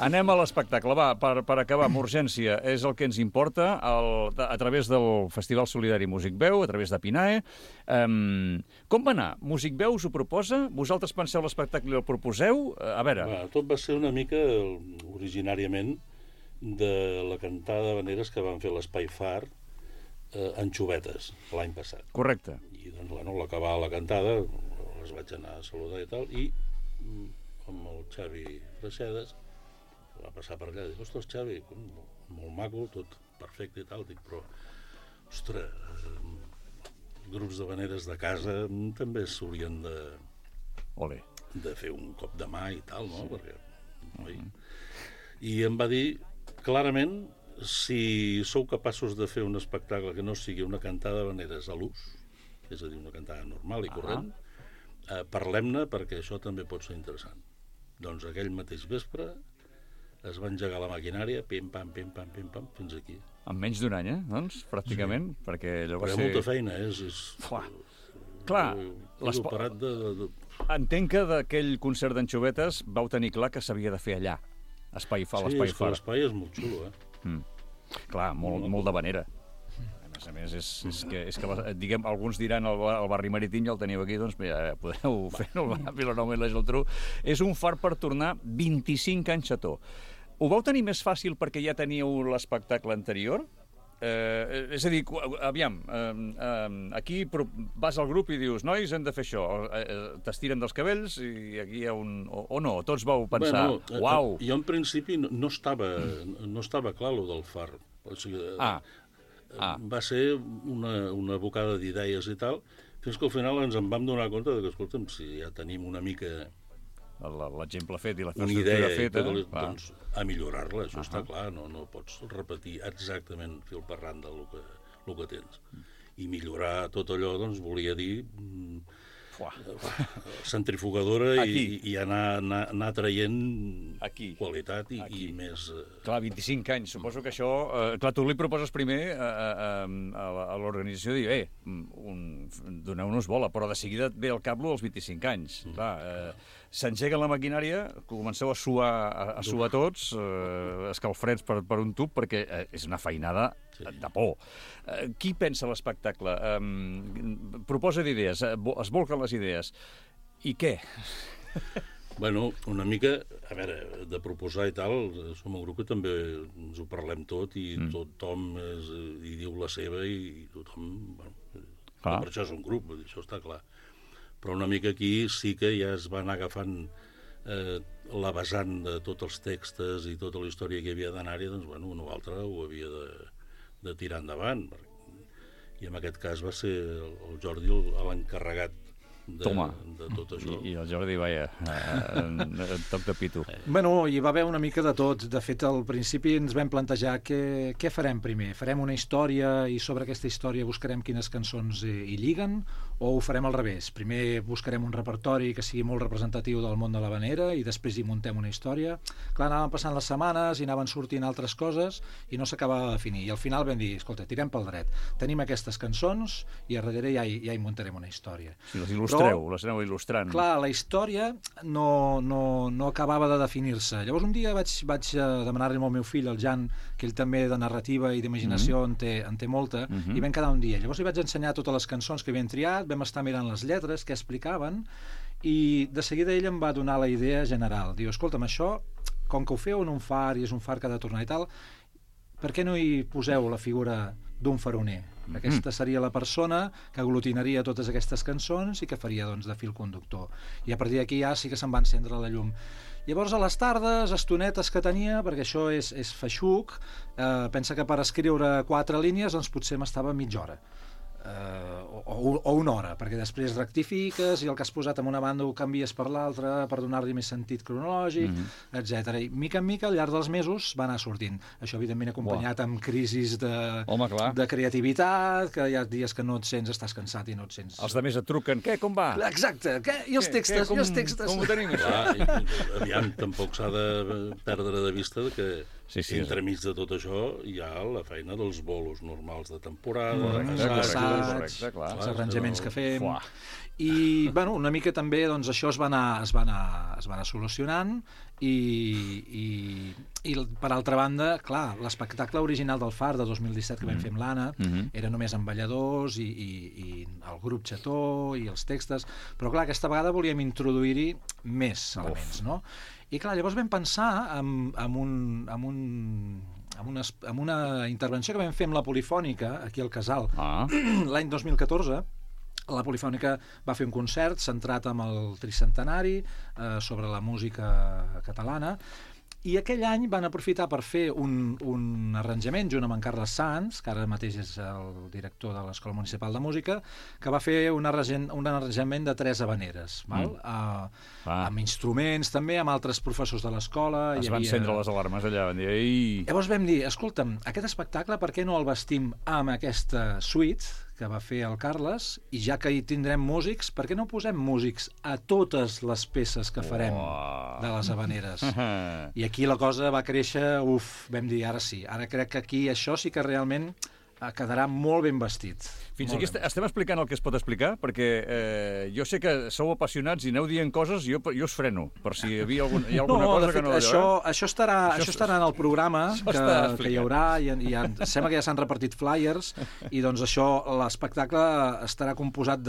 Anem a l'espectacle. Va, per acabar, amb urgència, és el que ens importa, a través del Festival Solidari Músic Veu, a través de Pinae. Com va anar? Músic Veu us ho proposa? Vosaltres penseu l'espectacle i el proposeu? A veure... Tot va ser una mica, originàriament, de la cantada d'habaneres que van fer a l'Espai Far en Xubetes, l'any passat. Correcte. I, doncs, l'acabar la cantada, les vaig anar a saludar i tal, i amb el Xavi Freixedes va passar per allà i dic, ostres, Xavi, molt maco, tot perfecte i tal, dic, però ostres, grups d'habaneres de casa també s'haurien de fer un cop de mà i tal, no? Perquè, I em va dir clarament, si sou capaços de fer un espectacle que no sigui una cantada d'habaneres a l'ús, és a dir, una cantada normal i corrent, parlem-ne perquè això també pot ser interessant. Doncs aquell mateix vespre es va engegar la maquinària, pim-pam, pim-pam, pim-pam, fins aquí. En menys d'un any, doncs, pràcticament, perquè allò va ser... Però hi ha molta feina, Clar, parat de... Entenc que d'aquell concert d'anxovetes vau tenir clar que s'havia de fer allà, l'espai far. Sí, l'espai és molt xulo, Clar, molt d'havanera. A més, és que diguem, alguns diran el barri marítim ja el teniu aquí, doncs ja podeu fer el Vilanova i la Geltrú. És un far per tornar 25 anys a to. Ho vau tenir més fàcil perquè ja teníeu l'espectacle anterior? És a dir, aviam, aquí vas al grup i dius, nois, hem de fer això, t'estiren dels cabells i aquí hi ha un... O no, tots vau pensar, uau! Jo en principi no estava clar lo del far. O sigui, va ser una bocada d'idees i tal, fins que al final ens en vam donar compte que, escolta'm, si ja tenim una mica... L'exemple fet i la una idea feta, doncs a millorar-la, això està clar, no pots repetir exactament fil per randa el que tens. I millorar tot allò, doncs, volia dir centrifugadora i anar traient qualitat i més... Clar, 25 anys, suposo que això... Clar, tu li proposes primer a l'organització de dir, doneu-nos bola, però de seguida et ve al cap dels 25 anys. Clar, s'engega la maquinària, comenceu a suar tots, escalfreds per un tub, perquè és una feinada de por. Qui pensa l'espectacle? Proposa d'idees, es volquen les idees. I què? Bueno, una mica, a veure, de proposar i tal, som un grup que també ens ho parlem tot i tothom hi diu la seva i tothom... Per això és un grup, això està clar. Però una mica aquí sí que ja es van agafant la vessant de tots els textos i tota la història que hi havia d'anar-hi, doncs, bueno, una o altra ho havia de tirar endavant. I en aquest cas va ser el Jordi l'encarregat de tot això. I el Jordi, vaja, toc de pito. Bueno, hi va haver una mica de tot. De fet, al principi ens vam plantejar què farem primer. Farem una història i sobre aquesta història buscarem quines cançons hi lliguen, o ho farem al revés? Primer buscarem un repertori que sigui molt representatiu del món de l'havanera i després hi muntem una història. Clar, anaven passant les setmanes i anaven sortint altres coses i no s'acabava de definir. I al final vam dir, escolta, tirem pel dret. Tenim aquestes cançons i a darrere ja hi muntarem una història. Si les il·lustreu, les aneu il·lustrant. Clar, la història no acabava de definir-se. Llavors un dia vaig demanar-li al meu fill, el Jan, que ell també de narrativa i d'imaginació en té molta, i vam quedar un dia. Llavors li vaig ensenyar totes les cançons que havien triat, vam estar mirant les lletres, què explicaven, i de seguida ell em va donar la idea general. Diu, escolta'm, això, com que ho feu en un far i és un far que ha de tornar i tal, per què no hi poseu la figura d'un faroner? Aquesta seria la persona que aglutinaria totes aquestes cançons i que faria, doncs, de fil conductor. I a partir d'aquí ja sí que se'n va encendre la llum. Llavors, a les tardes, estonetes que tenia, perquè això és feixuc, pensa que per escriure 4 línies doncs potser m'estava mitja hora. O una hora, perquè després rectifiques i el que has posat en una banda ho canvies per l'altra per donar-li més sentit cronològic, etc. I mica en mica al llarg dels mesos va anar sortint. Això evidentment acompanyat amb crisis de creativitat, que hi ha dies que no et sents, estàs cansat i no et sents... Els de més et truquen, què, com va? Exacte, què? I els textos? Com ho tenim, això? Aviam, tampoc s'ha de perdre de vista que entremig de tot això hi ha la feina dels bolos normals de temporada, els arranjaments que fem. I, bueno, una mica també doncs, això es va anar solucionant i per altra banda, clar, l'espectacle original del Far de 2017 que vam fer amb l'Anna era només amb balladors i el grup xató i els textos, però clar, aquesta vegada volíem introduir-hi més elements, no? I clar, llavors vam pensar en una intervenció que vam fer amb la Polifònica aquí al Casal l'any 2014. La Polifònica va fer un concert centrat en el tricentenari sobre la música catalana i aquell any van aprofitar per fer un arranjament junt amb en Carles Sans, que ara mateix és el director de l'Escola Municipal de Música, que va fer un arranjament de 3 havaneres, amb instruments també, amb altres professors de l'escola. Es van encendre les alarmes allà, van dir... Ei! Llavors vam dir, escolta'm, aquest espectacle per què no el vestim amb aquesta suite que va fer el Carles, i ja que hi tindrem músics, per què no posem músics a totes les peces que farem de les Havaneres? I aquí la cosa va créixer, vam dir, ara sí. Ara crec que aquí això sí que realment quedarà molt ben vestit. Fins aquí estem explicant el que es pot explicar, perquè jo sé que sou apassionats i aneu dient coses i jo us freno, per si hi ha alguna cosa que no... Això estarà en el programa que hi haurà, i sembla que ja s'han repartit flyers, i doncs això, l'espectacle estarà composat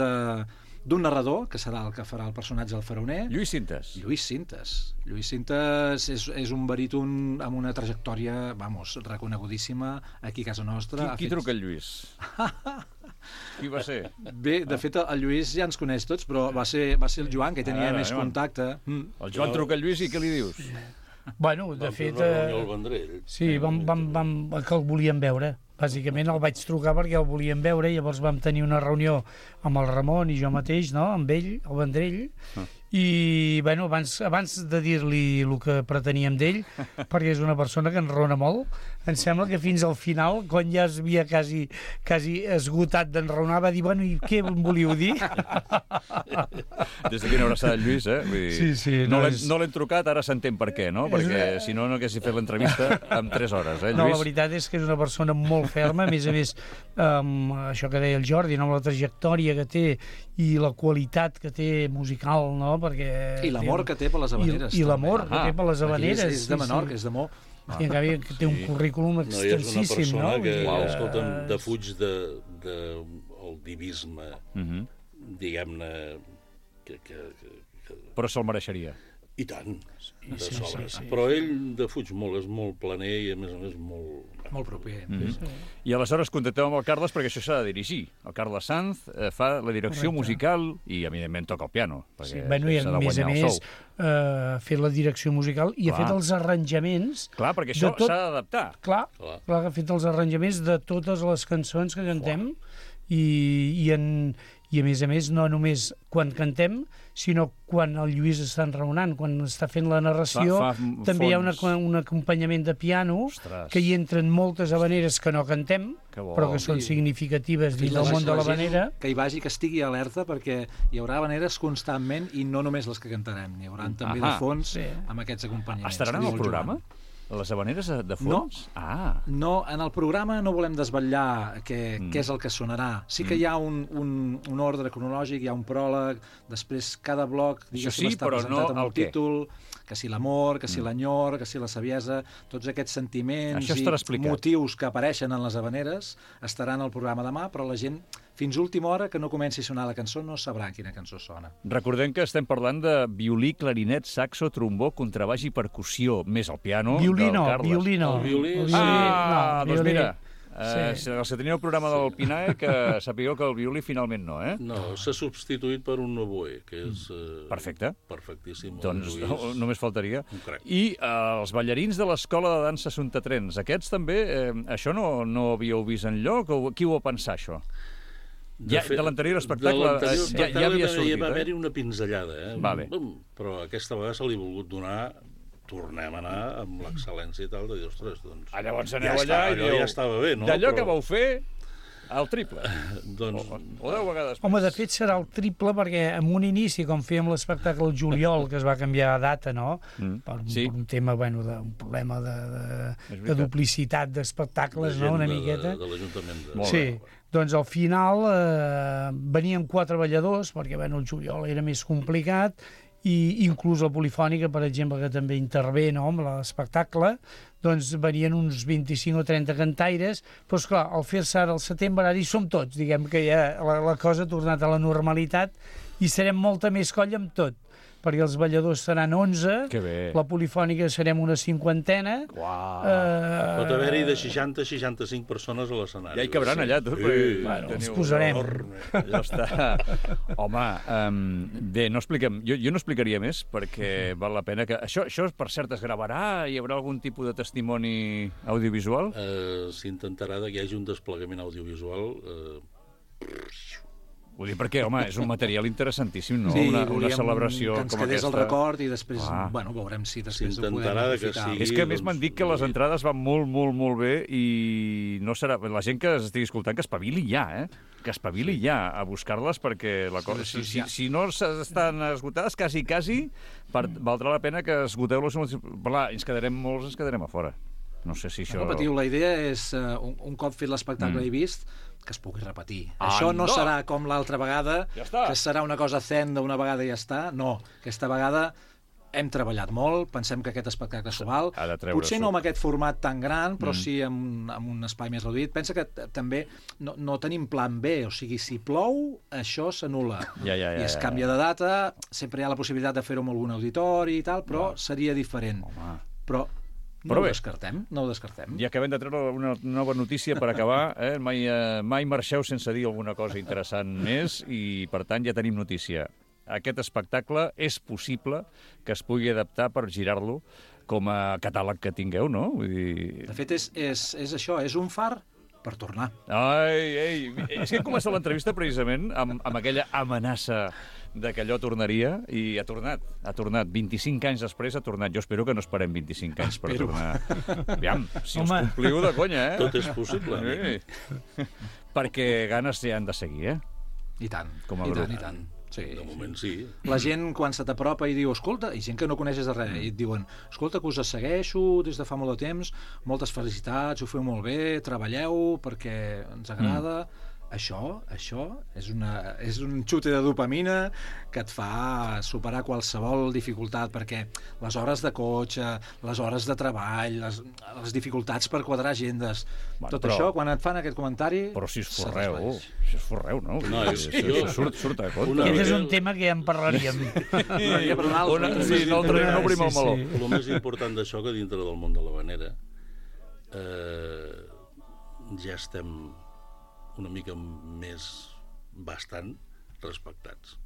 d'un narrador, que serà el que farà el personatge del faraoner. Lluís Sintes. Lluís Sintes és un baríton amb una trajectòria, reconegudíssima aquí a casa nostra. Qui truca el Lluís? Qui va ser? Bé, de fet, el Lluís ja ens coneix tots, però va ser el Joan, que tenia més contacte. El Joan truca el Lluís i què li dius? Bueno, de fet... el Vendrell. Sí, que el volíem veure. Bàsicament el vaig trucar perquè el volíem veure, i llavors vam tenir una reunió amb el Ramon i jo mateix, no?, amb ell, el Vendrell, i bueno, abans de dir-li el que preteníem d'ell, perquè és una persona que enrona molt, em sembla que fins al final, quan ja es havia quasi esgotat d'enraonar, va dir, bueno, i què em volíeu dir? Des d'aquí una abraçada al Lluís, eh? Vull dir, sí, no l'hem trucat, ara s'entén per què, no? Perquè si no haguessin fet l'entrevista en 3 hores, eh, Lluís? No, la veritat és que és una persona molt ferma, a més, això que deia el Jordi, no? La trajectòria que té i la qualitat que té musical, no? Perquè I l'amor que té per les Havaneres. I l'amor que té per les Havaneres. És de Menorca, és de Mó. I en canvi té un currículum extensíssim, no? No, és una persona que, escolta'm, defuig del divisme, diguem-ne... Però se'l mereixeria. I tant, de sobre. Però ell defuig molt, és molt planer i, a més, molt proper. I aleshores contactem amb el Carles perquè això s'ha de dirigir. El Carles Sanz fa la direcció musical i, evidentment, toca el piano. Sí, bueno, i a més ha fet la direcció musical i ha fet els arranjaments... Clar, perquè això s'ha d'adaptar. Clar, ha fet els arranjaments de totes les cançons que cantem i a més, no només quan cantem, sinó quan el Lluís està enraonant, quan està fent la narració, també hi ha un acompanyament de piano, que hi entren moltes havaneres que no cantem, però que són significatives dins del món de l'havanera. Que hi vagi, que estigui alerta, perquè hi haurà havaneres constantment i no només les que cantarem, n'hi haurà també de fons amb aquests acompanyaments. Estaran en el programa? Les havaneres de fons? No, en el programa no volem desvetllar què és el que sonarà. Sí que hi ha un ordre cronològic, hi ha un pròleg, després cada bloc diguéssim està presentat amb un títol, que si l'amor, que si l'enyor, que si la saviesa, tots aquests sentiments i motius que apareixen en les havaneres estaran al programa demà, però la gent fins última hora que no comenci a sonar la cançó no sabrà quina cançó sona. Recordem que estem parlant de violí, clarinet, saxo, trombó, contrabaix i percussió, més el piano del Carles. Violí. Doncs mira, els que teniu el programa del Pinae, que sapigueu que el violí finalment no, eh? No, s'ha substituït per un oboe, que és... Perfecte. Perfectíssim. Doncs només faltaria. I els ballarins de l'Escola de Dansa Suntatrens, aquests també, això no havíeu vist enlloc? Qui ho va pensar, això? De l'anterior espectacle ja havia sortit. Va haver-hi una pinzellada, però aquesta vegada se li ha volgut donar, tornem a anar amb l'excel·lència i tal, de dir, ostres, doncs... Llavors aneu allà i diu... Ja estava bé, no? D'allò que vau fer, el triple. O 10 vegades. Home, de fet serà el triple perquè en un inici, com fèiem l'espectacle el juliol, que es va canviar de data, no? Per un tema, d'un problema de duplicitat d'espectacles, no? Una miqueta. De l'Ajuntament. Sí. Doncs al final veníem 4 balladors, perquè el juliol era més complicat, i inclús la polifònica, per exemple, que també intervé amb l'espectacle, doncs venien uns 25 o 30 cantaires, però esclar, al fer-se ara al setembre, ara hi som tots, diguem que ja la cosa ha tornat a la normalitat i serem molta més colla amb tot, perquè els balladors seran 11, la polifònica serem una 50. Pot haver-hi de 60 a 65 persones a l'escenari. Ja hi cabran allà, tot. Ens posarem. Ja està. Home, bé, no expliquem. Jo no explicaria més, perquè val la pena que... Això, per cert, es gravarà? Hi haurà algun tipus de testimoni audiovisual? S'intentarà que hi hagi un desplegament audiovisual Vull dir, perquè, home, és un material interessantíssim, no? Sí, una celebració com aquesta. Que ens quedés el record i després, bueno, veurem si després ho podem aprofitar. És que a més m'han dit que les entrades van molt, molt, molt bé i no serà... La gent que estigui escoltant que espavili ja, que espavili ja a buscar-les perquè la cosa... Si no estan esgotades, quasi, valdrà la pena que esgoteu-les. Clar, ens quedarem molts, ens quedarem a fora. No sé si això... No patiu, la idea és, un cop fet l'espectacle i vist, que es pugui repetir. Això no serà com l'altra vegada, que serà una cosa zen d'una vegada i ja està. No, aquesta vegada hem treballat molt, pensem que aquest espectacle s'ho val. Potser no amb aquest format tan gran, però sí amb un espai més reduït. Pensa que també no tenim plan B, o sigui, si plou, això s'anul·la. I es canvia de data, sempre hi ha la possibilitat de fer-ho amb algun auditori i tal, però seria diferent. Però no ho descartem. I acabem de treure una nova notícia per acabar. Mai marxeu sense dir alguna cosa interessant més i, per tant, ja tenim notícia. Aquest espectacle és possible que es pugui adaptar per girar-lo com a catàleg que tingueu, no? Vull dir... De fet, és això, és un far per tornar. És que hem començat l'entrevista precisament amb aquella amenaça de que allò tornaria, i ha tornat. 25 anys després ha tornat. Jo espero que no esperem 25 anys per tornar. Aviam, si us compliu de conya, Tot és possible. Perquè ganes ja han de seguir, I tant, i tant. Sí. De moment sí. La gent, quan se t'apropa i diu, escolta, i gent que no coneixes de res, i et diuen, escolta, que us segueixo des de fa molt de temps, moltes felicitats, ho feu molt bé, treballeu perquè ens agrada... Això és un xute de dopamina que et fa superar qualsevol dificultat, perquè les hores de cotxe, les hores de treball, les dificultats per quadrar agendes, això, quan et fan aquest comentari... Però si us forreu, no? Surt a compte. Aquest és un tema que ja en parlaríem. No obrim el meló. El més important d'això, que dintre del món de l'havanera ja estem una mica més bastant respectats.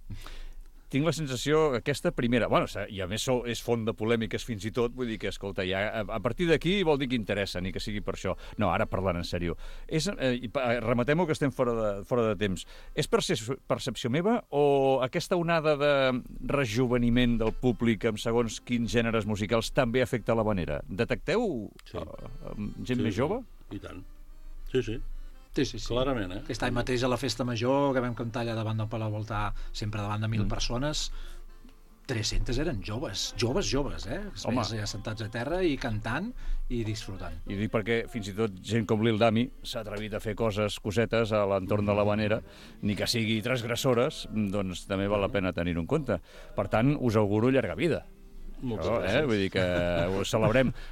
Tinc la sensació, aquesta primera... Bueno, i a més és font de polèmiques fins i tot, vull dir que, escolta, ja a partir d'aquí vol dir que interessa, ni que sigui per això. No, ara parlant en sèrio. Rematem-ho, que estem fora de temps. És percepció meva o aquesta onada de rejuveniment del públic amb segons quins gèneres musicals també afecta l'havanera? Detecteu gent més jove? I tant. Sí. Sí. Clarament, Aquest any mateix a la Festa Major, que vam cantar allà davant del Palau Voltà, sempre davant de 1.000 persones, 300 eren joves, Home. Ja sentats a terra i cantant i disfrutant. I dic perquè fins i tot gent com Lil Dami s'ha atrevit a fer cosetes a l'entorn de l'havanera, ni que sigui transgressores, doncs també val la pena tenir-ho en compte. Per tant, us auguro llarga vida. Moltes gràcies. Vull dir que ho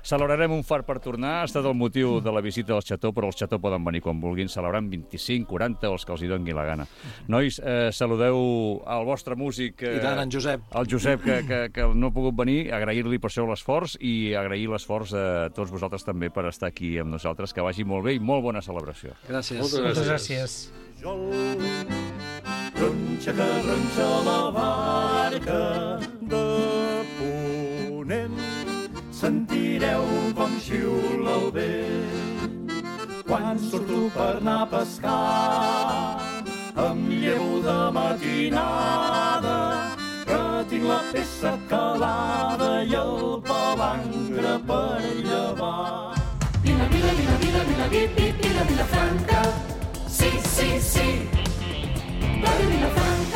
celebrarem un far per tornar. Ha estat el motiu de la visita del Xató, però els Xató poden venir quan vulguin, celebrant 25, 40 o els que els hi doni la gana. Nois, saludeu al vostre músic, i tant, en Josep. El Josep, que no ha pogut venir, agrair-li per això l'esforç i agrair l'esforç a tots vosaltres també per estar aquí amb nosaltres. Que vagi molt bé i molt bona celebració. Gràcies. Moltes gràcies. Ronxa que ronxa la barca de ponent, sentireu com xiula el vent. Quan surto per anar a pescar, em llevo de matinada, que tinc la peça calada i el palangre per llevar. Vila Franca, sí, la Vilafranca.